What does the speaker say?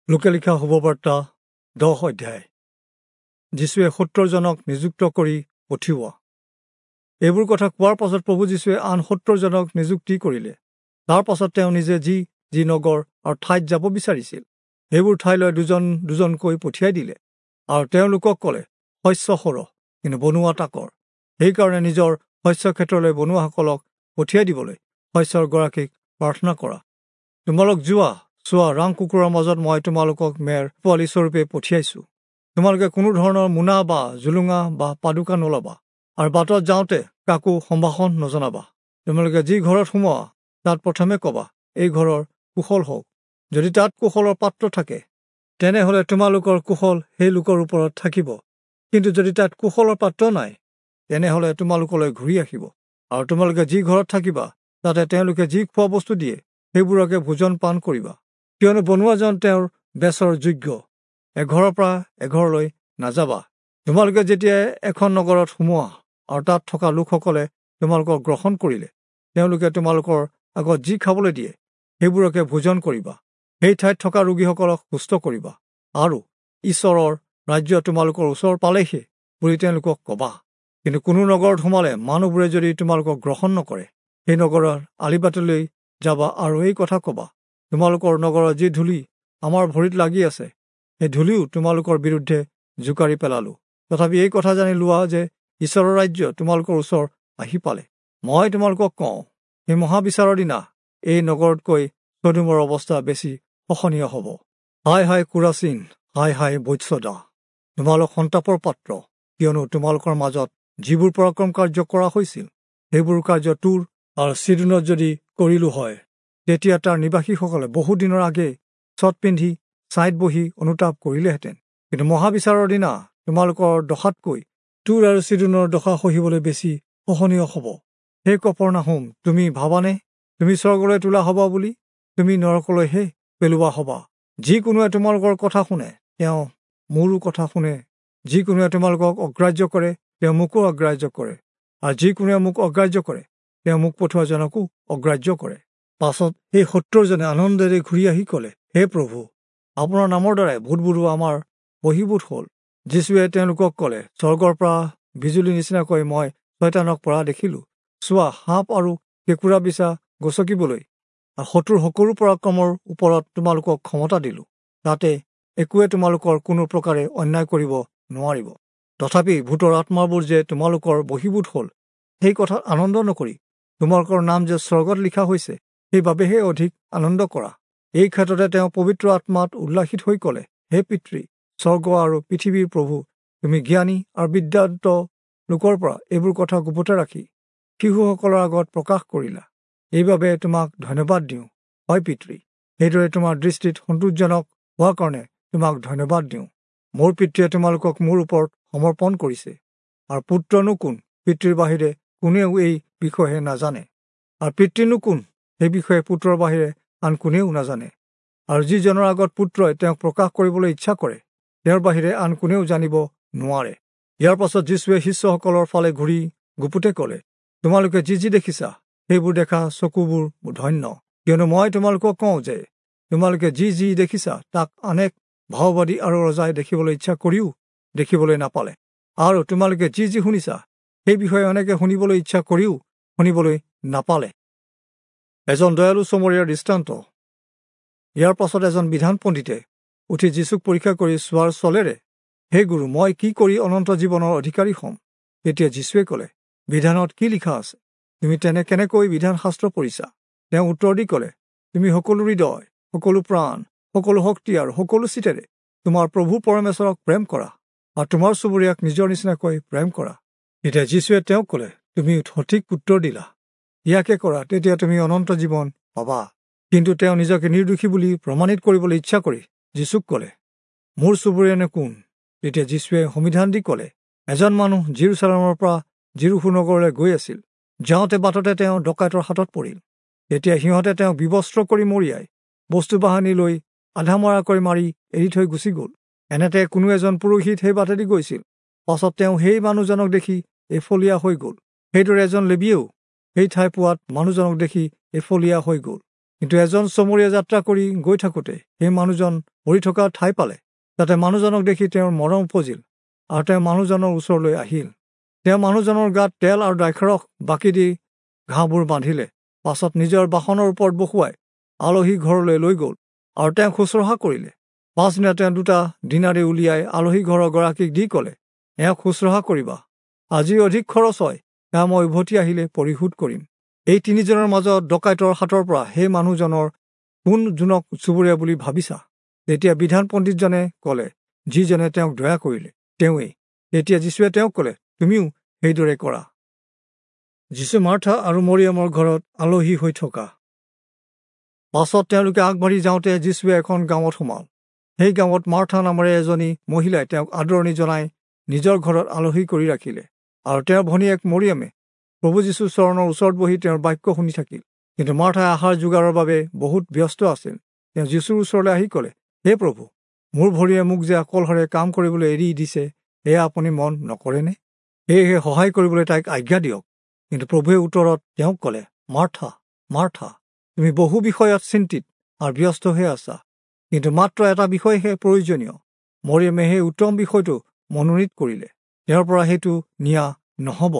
লোকে লিখা শুভবাৰ্তা 10 অধ্যায়। যীশুৱে 70 জনক নিযুক্ত কৰি পঠিওৱা। এইবোৰ কথা কোৱাৰ পাছত প্ৰভু যীশুৱে আন 70 জনক নিযুক্তি কৰিলে। তাৰ পাছত তেওঁ নিজে যি যি নগৰ আৰু ঠাইত যাব বিচাৰিছিল সেইবোৰ ঠাইলৈ দুজন দুজনকৈ পঠিয়াই দিলে আৰু তেওঁলোকক ক'লে, শস্য সৰহ কিন্তু বনোৱা তাকৰ, সেইকাৰণে নিজৰ শস্য ক্ষেত্ৰলৈ বনোৱাসকলক পঠিয়াই দিবলৈ শস্যৰ গৰাকীক প্ৰাৰ্থনা কৰা। তোমালোক যোৱা, চোৱা, ৰাং কুকুৰৰ মাজত মই তোমালোকক মেৰ পোৱালি স্বৰূপে পঠিয়াইছো। তোমালোকে কোনো ধৰণৰ মোনা বা জুলুঙা বা পাদুকা নলবা আৰু বাটত যাওঁতে কাকো সম্ভাষণ নজনাবা। তোমালোকে যি ঘৰত সোমোৱা তাত প্ৰথমে ক'বা, এই ঘৰৰ কুশল হওক। যদি তাত কুশলৰ পাত্ৰ থাকে তেনেহ'লে তোমালোকৰ কুশল সেই লোকৰ ওপৰত থাকিব, কিন্তু যদি তাত কুশলৰ পাত্ৰ নাই তেনেহ'লে তোমালোকলৈ ঘূৰি আহিব। আৰু তোমালোকে যি ঘৰত থাকিবা তাতে তেওঁলোকে যি খোৱা বস্তু দিয়ে সেইবোৰকে ভোজন পান কৰিবা, কিয়নো বনোৱাজন তেওঁৰ বেচৰ যোগ্য। এঘৰৰ পৰা এঘৰলৈ নাযাবা। তোমালোকে যেতিয়া এখন নগৰত সোমোৱা আৰু তাত থকা লোকসকলে তোমালোকক গ্ৰহণ কৰিলে তেওঁলোকে তোমালোকৰ আগত যি খাবলৈ দিয়ে সেইবোৰকে ভোজন কৰিবা। সেই ঠাইত থকা ৰোগীসকলক সুস্থ কৰিবা আৰু ঈশ্বৰৰ ৰাজ্য তোমালোকৰ ওচৰ পালেহি বুলি তেওঁলোকক ক'বা। কিন্তু কোনো নগৰত সোমালে মানুহবোৰে যদি তোমালোকক গ্ৰহণ নকৰে সেই নগৰৰ আলিবাটলৈ যাবা আৰু এই কথা ক'বা, তোমালোকৰ নগৰৰ যি ধূলি আমাৰ ভৰিত লাগি আছে সেই ধূলিও তোমালোকৰ বিৰুদ্ধে জোকাৰি পেলালোঁ। তথাপি এই কথা জানি লোৱা যে ঈশ্বৰৰ ৰাজ্য তোমালোকৰ ওচৰ আহি পালে। মই তোমালোকক কওঁ, সেই মহাবিচাৰৰ দিনা এই নগৰতকৈ চদোমৰ অৱস্থা বেছি সহনীয় হ'ব। হায় হায় কুৰাচীন, হায় হায় বৈৎসদা, তোমালোক সন্তাপৰ পাত্ৰ, কিয়নো তোমালোকৰ মাজত যিবোৰ পৰাক্ৰম কাৰ্য কৰা হৈছিল সেইবোৰ কাৰ্য তুৰ আৰু চিদোনত যদি কৰিলো হয় তেতিয়া তাৰ নিবাসীসকলে বহুদিনৰ আগেয়ে চট পিন্ধি ছাইত বহি অনুতাপ কৰিলেহেঁতেন। কিন্তু মহাবিচাৰৰ দিনা তোমালোকৰ দশাতকৈ তুৰ আৰু চিদোনৰ দশা সহিবলৈ বেছি সহনীয় হ'ব। হে কপৰ্নাহুম, তুমি ভাবানে তুমি স্বৰ্গলৈ তোলা হবা বুলি? তুমি নৰকলৈহে পেলোৱা হবা। যিকোনোৱে তোমালোকৰ কথা শুনে তেওঁ মোৰো কথা শুনে, যিকোনোৱে তোমালোকক অগ্ৰাহ্য কৰে তেওঁ মোকো অগ্ৰাহ্য কৰে, আৰু যিকোনোৱে মোক অগ্ৰাহ্য কৰে তেওঁ মোক পঠোৱাজনকো অগ্ৰাহ্য কৰে। পাছত সেই 70 জনে আনন্দেৰে ঘূৰি আহি ক'লে, হে প্ৰভু, আপোনাৰ নামৰ দ্বাৰাই ভূতবোৰো আমাৰ বহিবোধ হ'ল। যীশুৱে তেওঁলোকক ক'লে, স্বৰ্গৰ পৰা বিজুলী নিচিনাকৈ মই ছয়তানক পৰা দেখিলোঁ। চোৱা, সাপ আৰু কেঁকুৰা বিছা গচকিবলৈ আৰু শত্ৰুৰ সকলো পৰাক্ৰমৰ ওপৰত তোমালোকক ক্ষমতা দিলোঁ, তাতে একোৱে তোমালোকৰ কোনো প্ৰকাৰে অন্যায় কৰিব নোৱাৰিব। তথাপি ভূতৰ আত্মাবোৰ যে তোমালোকৰ বহিবোধ হ'ল সেই কথাত আনন্দ নকৰি তোমালোকৰ নাম যে স্বৰ্গত লিখা হৈছে সেইবাবেহে অধিক আনন্দ কৰা। এই ক্ষেত্ৰতে তেওঁ পবিত্ৰ আত্মাত উল্লাসিত হৈ ক'লে, হে পিতৃ, স্বৰ্গ আৰু পৃথিৱীৰ প্ৰভু, তুমি জ্ঞানী আৰু বিদ্যান্ত লোকৰ পৰা এইবোৰ কথা গোপতে ৰাখি শিশুসকলৰ আগত প্ৰকাশ কৰিলা, এইবাবে তোমাক ধন্যবাদ দিওঁ। হয় পিতৃ, সেইদৰে তোমাৰ দৃষ্টিত সন্তোষজনক হোৱাৰ কাৰণে তোমাক ধন্যবাদ দিওঁ। মোৰ পিতৃয়ে তোমালোকক মোৰ ওপৰত সমৰ্পণ কৰিছে, আৰু পুত্ৰনো কোন পিতৃৰ বাহিৰে কোনেও এই বিষয়ে নাজানে, আৰু পিতৃনো কোন সেই বিষয়ে পুত্ৰৰ বাহিৰে আন কোনেও নাজানে, আৰু যিজনৰ আগত পুত্ৰই তেওঁক প্ৰকাশ কৰিবলৈ ইচ্ছা কৰে তেওঁৰ বাহিৰে আন কোনেও জানিব নোৱাৰে। ইয়াৰ পাছত যীশুৱে শিষ্যসকলৰ ফালে ঘূৰি গুপুতে ক'লে, তোমালোকে যি যি দেখিছা সেইবোৰ দেখা চকুবোৰ ধন্য, কিয়নো মই তোমালোকক কওঁ যে তোমালোকে যি যি দেখিছা তাক অনেক ভাওবাদী আৰু ৰজাই দেখিবলৈ ইচ্ছা কৰিও দেখিবলৈ নাপালে, আৰু তোমালোকে যি যি শুনিছা সেই বিষয়ে অনেকে শুনিবলৈ ইচ্ছা কৰিও শুনিবলৈ নাপালে। এজন দয়ালু চমৰীয়াৰ দৃষ্টান্ত। ইয়াৰ পাছত এজন বিধান পণ্ডিতে উঠি যীশুক পৰীক্ষা কৰি চোৱাৰ চলেৰে, হে গুৰু, মই কি কৰি অনন্ত জীৱনৰ অধিকাৰী হ'ম? তেতিয়া যীশুৱে ক'লে, বিধানত কি লিখা আছে? তুমি তেনে কেনেকৈ বিধান শাস্ত্ৰ পঢ়িছা? তেওঁ উত্তৰ দি ক'লে, তুমি সকলো হৃদয়, সকলো প্ৰাণ, সকলো শক্তি আৰু সকলো চিতেৰে তোমাৰ প্ৰভু পৰমেশ্বৰক প্ৰেম কৰা আৰু তোমাৰ চুবুৰীয়াক নিজৰ নিচিনাকৈ প্ৰেম কৰা। তেতিয়া যীশুৱে তেওঁক ক'লে, তুমি সঠিক উত্তৰ দিলা, ইয়াকে কৰা, তেতিয়া তুমি অনন্ত জীৱন পাবা। কিন্তু তেওঁ নিজকে নিৰ্দোষী বুলি প্ৰমাণিত কৰিবলৈ ইচ্ছা কৰি যীশুক ক'লে, মোৰ চুবুৰীয়ানো কোন? তেতিয়া যীশুৱে সমিধান দি ক'লে, এজন মানুহ যিৰূচালেমৰ পৰা যিৰূহো নগৰলৈ গৈ আছিল। যাওঁতে বাটতে তেওঁ ডকাইতৰ হাতত পৰিল। তেতিয়া সিহঁতে তেওঁক বিবস্ত্ৰ কৰি মৰিয়াই বস্তু বাহানি লৈ আধামৰা কৰি মাৰি এৰি থৈ গুচি গ'ল। এনেতে কোনো এজন পুৰোহিত সেই বাটেদি গৈছিল। পাছত তেওঁ সেই মানুহজনক দেখি এফলীয়া হৈ গ'ল। সেইদৰে এজন লেবীয়েও সেই ঠাই পোৱাত মানুহজনক দেখি এফলীয়া হৈ গ'ল। কিন্তু এজন চমৰীয়া যাত্ৰা কৰি গৈ থাকোঁতে সেই মানুহজন পৰি থকা ঠাই পালে। তাতে মানুহজনক দেখি তেওঁৰ মৰম উপজিল আৰু তেওঁ মানুহজনৰ ওচৰলৈ আহিল। তেওঁ মানুহজনৰ গাত তেল আৰু দ্ৰাক্ষাৰস বাকি দি ঘাঁহবোৰ বান্ধিলে। পাছত নিজৰ বাহনৰ ওপৰত বহুৱাই আলহী ঘৰলৈ লৈ গ'ল আৰু তেওঁক শুশ্ৰূষা কৰিলে। পাছদিনা তেওঁ 2 দিনাৰি উলিয়াই আলহী ঘৰৰ গৰাকীক দি ক'লে, এওঁক শুশ্ৰূষা কৰিবা, আজি অধিক খৰচ হয়, সেয়া মই উভতি আহিলে পৰিশোধ কৰিম। এই 3জনৰ মাজত ডকাইতৰ হাতৰ পৰা সেই মানুহজনৰ কোন জোনক চুবুৰীয়া বুলি ভাবিছা? তেতিয়া বিধান পণ্ডিতজনে ক'লে, যিজনে তেওঁক দয়া কৰিলে তেওঁৱেই। তেতিয়া যীশুৱে তেওঁক ক'লে, তুমিও সেইদৰে কৰা। যীশু মাৰ্থা আৰু মৰিয়মৰ ঘৰত আলহী হৈ থকা। পাছত তেওঁলোকে আগবাঢ়ি যাওঁতে যীশুৱে এখন গাঁৱত সোমাল। সেই গাঁৱত মাৰ্থা নামেৰে এজনী মহিলাই তেওঁক আদৰণি জনাই নিজৰ ঘৰত আলহী কৰি ৰাখিলে। আৰু তেওঁৰ ভনীয়েক মৰিয়মে প্ৰভু যীশুৰ চৰণৰ ওচৰত বহি তেওঁৰ বাক্য শুনি থাকিল। কিন্তু মাৰ্থাই আহাৰ যোগাৰৰ বাবে বহুত ব্যস্ত আছিল। তেওঁ যীশুৰ ওচৰলৈ আহি ক'লে, হে প্ৰভু, মোৰ ভৰিয়ে মোক যে অকলশৰে কাম কৰিবলৈ এৰি দিছে, এয়া আপুনি মন নকৰেনে? সেয়েহে সহায় কৰিবলৈ তাইক আজ্ঞা দিয়ক। কিন্তু প্ৰভুৱে উত্তৰত তেওঁক ক'লে, মাৰ্থা, মাৰ্থা, তুমি বহু বিষয়ত চিন্তিত আৰু ব্যস্ত হৈ আছা, কিন্তু মাত্ৰ এটা বিষয়হে প্ৰয়োজনীয়। মৰিয়মে সেই উত্তম বিষয়টো মনোনীত কৰিলে, তেওঁৰ পৰা সেইটো নিয়া নহ'ব।